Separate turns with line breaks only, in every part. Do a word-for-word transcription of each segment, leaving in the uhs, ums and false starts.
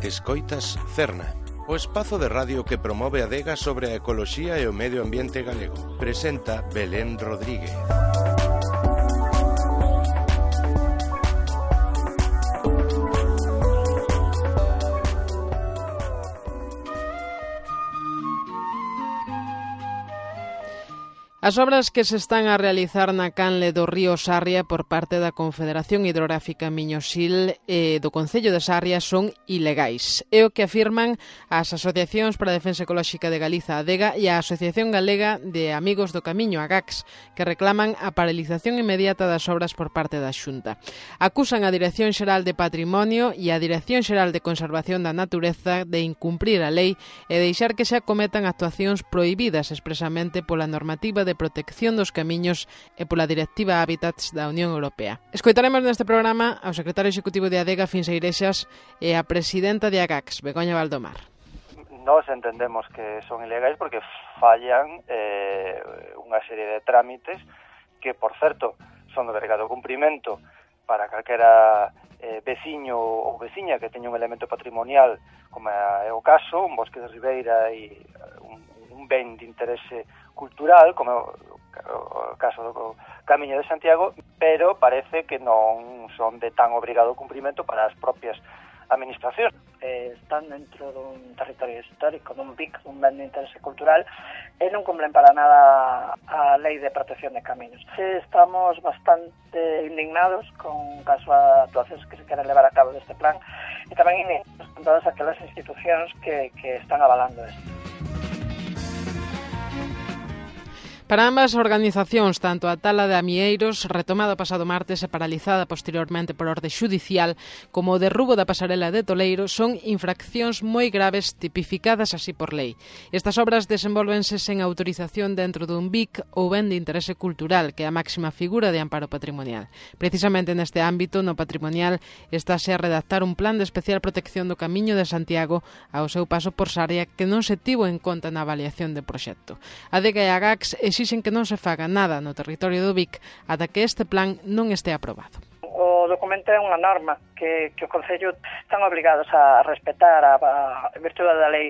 Escoitas Cerna, o espazo de radio que promove a adega sobre a ecoloxía e o medio ambiente galego. Presenta Belén Rodríguez.
As obras que se están a realizar na canle do río Sarria por parte da Confederación Hidrográfica Miño-Sil e do Concello de Sarria son ilegais. É o que afirman as asociacións para a defensa ecolóxica de Galiza, ADEGA, e a Asociación Galega de Amigos do Camiño, AGACS, que reclaman a paralización inmediata das obras por parte da Xunta. Acusan a Dirección Xeral de Patrimonio e a Dirección Xeral de Conservación da Natureza de incumprir a lei e deixar que se acometan actuacións prohibidas expresamente pola normativa de protección dos camiños e pola Directiva Hábitats da Unión Europea. Escoitaremos neste programa ao secretario executivo de ADEGA, Fins Igrexas, e a presidenta de AGACS, Begoña Valdomar.
Nós entendemos que son ilegais porque fallan eh, unha serie de trámites que, por certo, son de obrigado cumprimento para calquera eh, veciño ou veciña que teña un elemento patrimonial, como é o caso, un bosque de ribeira e un, un ben de interese cultural, como o caso do Camiño de Santiago, pero parece que non son de tan obrigado cumprimento para as propias administracións.
Eh, están dentro dun territorio histórico, dun B I C, un ben de interese cultural, e non cumplen para nada a lei de protección de camiños. Estamos bastante indignados con caso a actuacións que se queren levar a cabo deste plan, e tamén indignados con todas aquelas institucións que, que están avalando isto.
Para ambas organizacións, tanto a tala de Amieiros, retomada o pasado martes e paralizada posteriormente por orde xudicial, como o derrubo da pasarela de Toleiro, son infraccións moi graves tipificadas así por lei. Estas obras desenvolvense sen autorización dentro dun B I C ou ben de interese cultural, que é a máxima figura de amparo patrimonial. Precisamente neste ámbito, no patrimonial, estáse a redactar un plan de especial protección do Camiño de Santiago ao seu paso por Sarria que non se tivo en conta na avaliación do proxecto. A ADEGA e a AGACS exixen que non se faga nada no territorio do B I C ata que este plan non este aprobado.
O documento é unha norma que, que o Concello están obligados a respetar a, a virtude da lei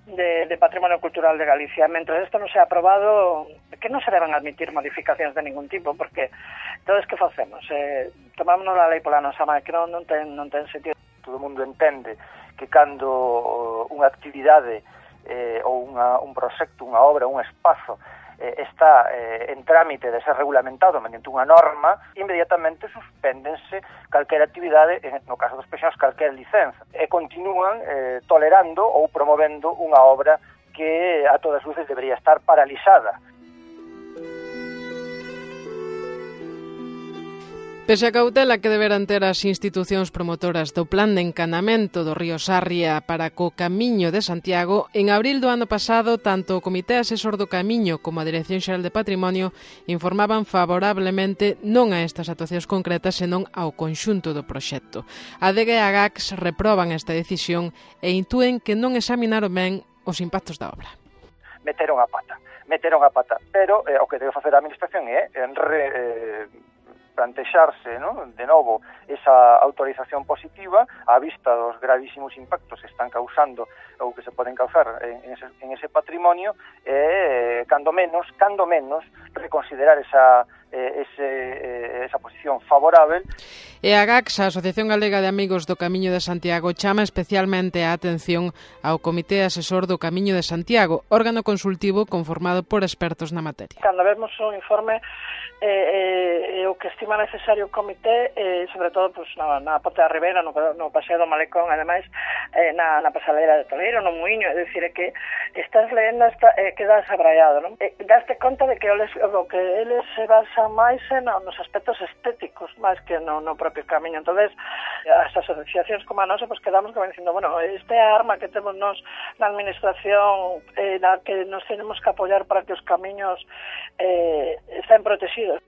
de, de Patrimonio Cultural de Galicia. Mentre isto non se ha aprobado, que non se deben admitir modificacións de ningún tipo, porque entonces que facemos? Eh, tomamos a lei pola nosa mão, que non, non, ten, non ten sentido.
Todo o mundo entende que cando unha actividade eh, ou unha, un proxecto, unha obra, un espazo está eh, en trámite de ser regulamentado mediante unha norma, inmediatamente suspéndense calquera actividade, no caso dos peixados, calquera licenza, e continúan eh, tolerando ou promovendo unha obra que a todas luces debería estar paralizada.
Pese a cautela que deberán ter as institucións promotoras do plan de encanamento do río Sarria para co Camiño de Santiago, en abril do ano pasado, tanto o Comité Asesor do Camiño como a Dirección Xeral de Patrimonio informaban favorablemente non a estas actuacións concretas, senón ao conxunto do proxecto. A ADEGA e a AGACS reproban esta decisión e intúen que non examinaron ben os impactos da obra.
Meteron a pata, meteron a pata, pero eh, o que debe facer a administración é en re... Eh, plantexarse, ¿no?, de novo esa autorización positiva á vista dos gravísimos impactos que están causando ou que se poden causar en ese, en ese patrimonio e, cando menos, cando menos, reconsiderar esa, eh, ese, eh, esa posición favorável.
E a AGACS, a Asociación Galega de Amigos do Camiño de Santiago, chama especialmente a atención ao Comité Asesor do Camiño de Santiago, órgano consultivo conformado por expertos na materia.
Cando vemos o informe, eh, eh, o que estima necesario o comité, eh, sobre todo pues, na, na Ponte da Ribeira, no, no Paseo do Malecón, ademais eh, na, na pasarela de Toleiro, no Muiño, é dicir, é que estás lendo, está, eh, quedas abraiado, non? Eh, daste conta de que eles, o que eles se basan máis é no, nos aspectos estéticos, máis que no, no propio camiño. Entonces, as asociacións como a nosa, pues quedamos como dicindo, bueno, esta é a arma que temos nos na administración, eh, na que nos tenemos que apoiar para que os camiños eh, estén protegidos.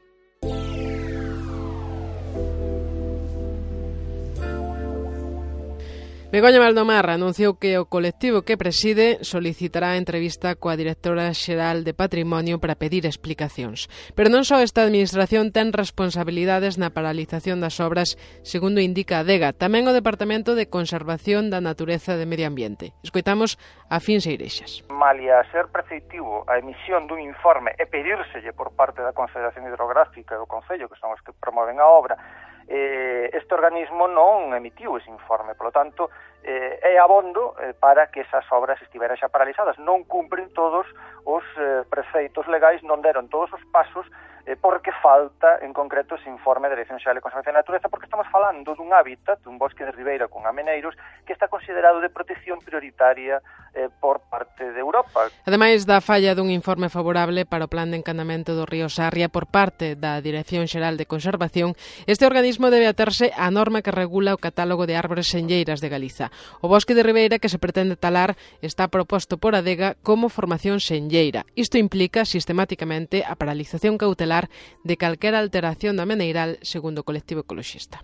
Begoña Valdomar anunciou que o colectivo que preside solicitará entrevista coa directora xeral de Patrimonio para pedir explicacións. Pero non só esta administración ten responsabilidades na paralización das obras, segundo indica a Adega, tamén o Departamento de Conservación da Natureza e Medio Ambiente. Escoitamos a Fins Eirexas.
Malia ser preceptivo a emisión dun informe e pedírselle por parte da Confederación Hidrográfica e do Concello, que son os que promoven a obra, Eh, este organismo non emitiu ese informe, polo tanto, eh, é abondo eh, para que esas obras estiveran xa paralizadas. Non cumpren todos os eh, preceitos legais, non deron todos os pasos, eh, porque falta, en concreto, ese informe da Dirección Xeral de Conservación da Natureza, porque estamos falando dun hábitat, dun bosque de ribeira con ameneiros, que está considerado de protección prioritaria eh, por parte de Europa.
Ademais da falla dun informe favorable para o plan de encanamento do río Sarria por parte da Dirección Xeral de Conservación, este organismo debe aterse á norma que regula o catálogo de árbores senlleiras de Galiza. O bosque de ribeira que se pretende talar está proposto por Adega como formación senlleira. Isto implica sistemáticamente a paralización cautelar de calquera alteración da meneiral, segundo o colectivo ecoloxista.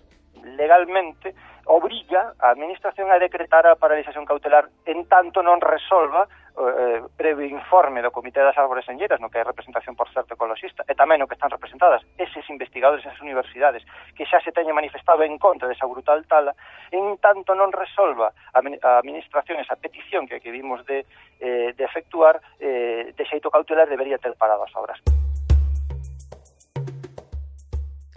Legalmente obriga a Administración a decretar a paralización cautelar en tanto non resolva eh, previo informe do Comité das Árbores Senlleiras, no que hai representación, por certo, ecoloxista, e tamén no que están representadas eses investigadores, esas universidades, que xa se teñen manifestado en contra desa brutal tala, en tanto non resolva a Administración esa petición que, que vimos de, eh, de efectuar, eh, de xeito cautelar debería ter parado as obras.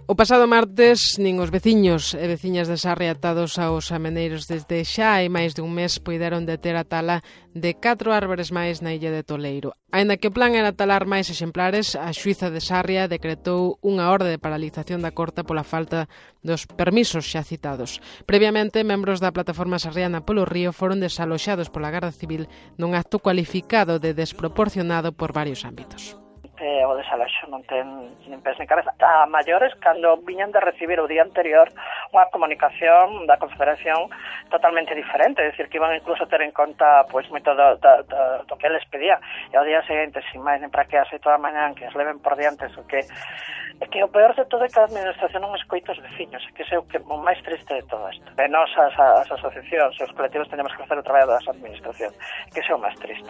O pasado martes, nin os veciños e veciñas de Sarria atados aos ameneiros desde xa hai máis de un mes puideron deter a tala de catro árbores máis na illa de Toleiro. Aínda que o plan era talar máis exemplares, a xuíza de Sarria decretou unha orde de paralización da corta pola falta dos permisos xa citados. Previamente, membros da plataforma sarriana polo río foron desaloxados pola Garda Civil nun acto cualificado de desproporcionado por varios ámbitos.
Eh, o desaloxo non ten nin pés nin cabeza. A maiores, cando viñan de recibir o día anterior unha comunicación da Confederación totalmente diferente, é dicir, que iban incluso a ter en conta pois moito do, do, do, do que eles pedía, e ao día seguinte, sin máis nem para que as oito da mañan, que as leven por diante, o que é que o peor de todo é que a administración non escoita os veciños, é que é o, que, o máis triste de todo isto. E nós, as, as asociacións, os colectivos, teñamos que facer o traballo das administración, que é o máis triste.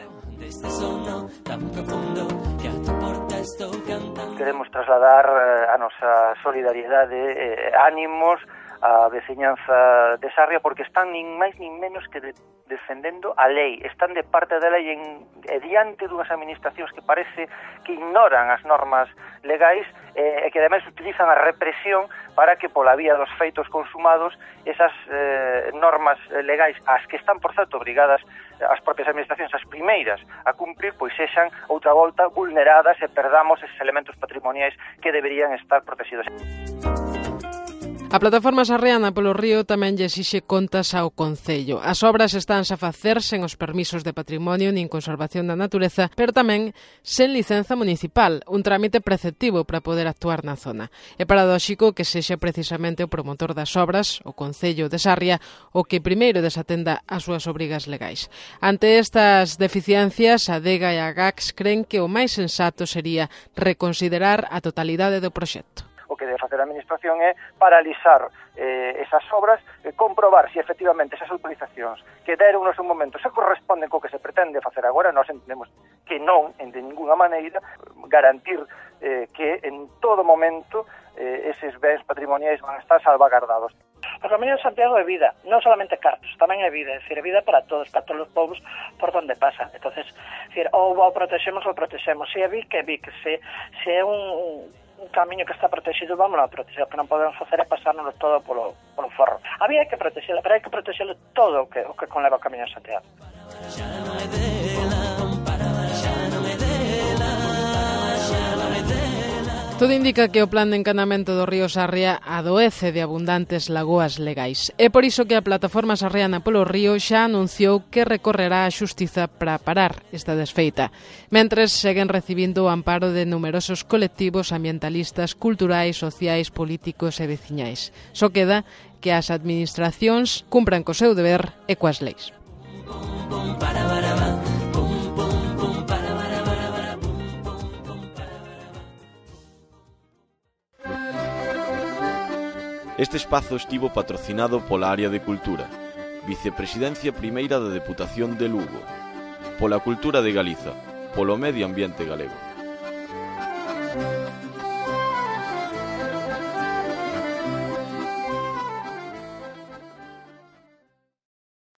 Queremos trasladar eh, a nosa solidariedade, eh, ánimos a veciñanza de Sarria, porque están nin máis nin menos que de, defendendo a lei, están de parte da lei en, e diante dunhas administracións que parece que ignoran as normas legais eh, e que ademais utilizan a represión para que pola vía dos feitos consumados esas eh, normas legais, as que están, por certo, obrigadas as propias administracións, as primeiras a cumprir, pois sexan outra volta vulneradas e perdamos eses elementos patrimoniais que deberían estar protegidos.
A plataforma sarriana polo río tamén lle exixe contas ao Concello. As obras estánse a facer sen os permisos de patrimonio nin conservación da natureza, pero tamén sen licenza municipal, un trámite preceptivo para poder actuar na zona. É paradóxico que sexa precisamente o promotor das obras, o Concello de Sarria, o que primeiro desatenda as súas obrigas legais. Ante estas deficiencias, a Adega e a GACS creen que o máis sensato sería reconsiderar a totalidade do proxecto.
O que debe facer a Administración é paralizar eh, esas obras, eh, comprobar se efectivamente esas autorizacións que deron no seu momento se corresponden co que se pretende facer agora. Nós entendemos que non, en de ninguna maneira, garantir eh, que en todo momento eh, eses bens patrimoniais van a estar salvagardados.
O Camiño de Santiago é vida, non solamente cartos, tamén é vida, é dicir, é vida para todos, para todos os povos por donde pasa. Entonces, é dicir, ou o protexemos ou protexemos. Se é Vic, é Vic, se, se é un un camiño que está protegido, vamos a proteger. O que non podemos facer é pasárnoslo todo polo, polo forro. Había que protegerlo, pero hai que protegerlo todo o que, o que conleva o Camiño de Santiago.
Todo indica que o plan de encanamento do río Sarria adoece de abundantes lagoas legais. É por iso que a plataforma sarriana polo río xa anunciou que recorrerá á xustiza para parar esta desfeita. Mentres seguen recibindo o amparo de numerosos colectivos ambientalistas, culturais, sociais, políticos e veciñais. Só queda que as administracións cumpran co seu deber e coas leis.
Este espazo estivo patrocinado pola Área de Cultura, Vicepresidencia primeira da Deputación de Lugo. Pola cultura de Galiza, polo medio ambiente galego.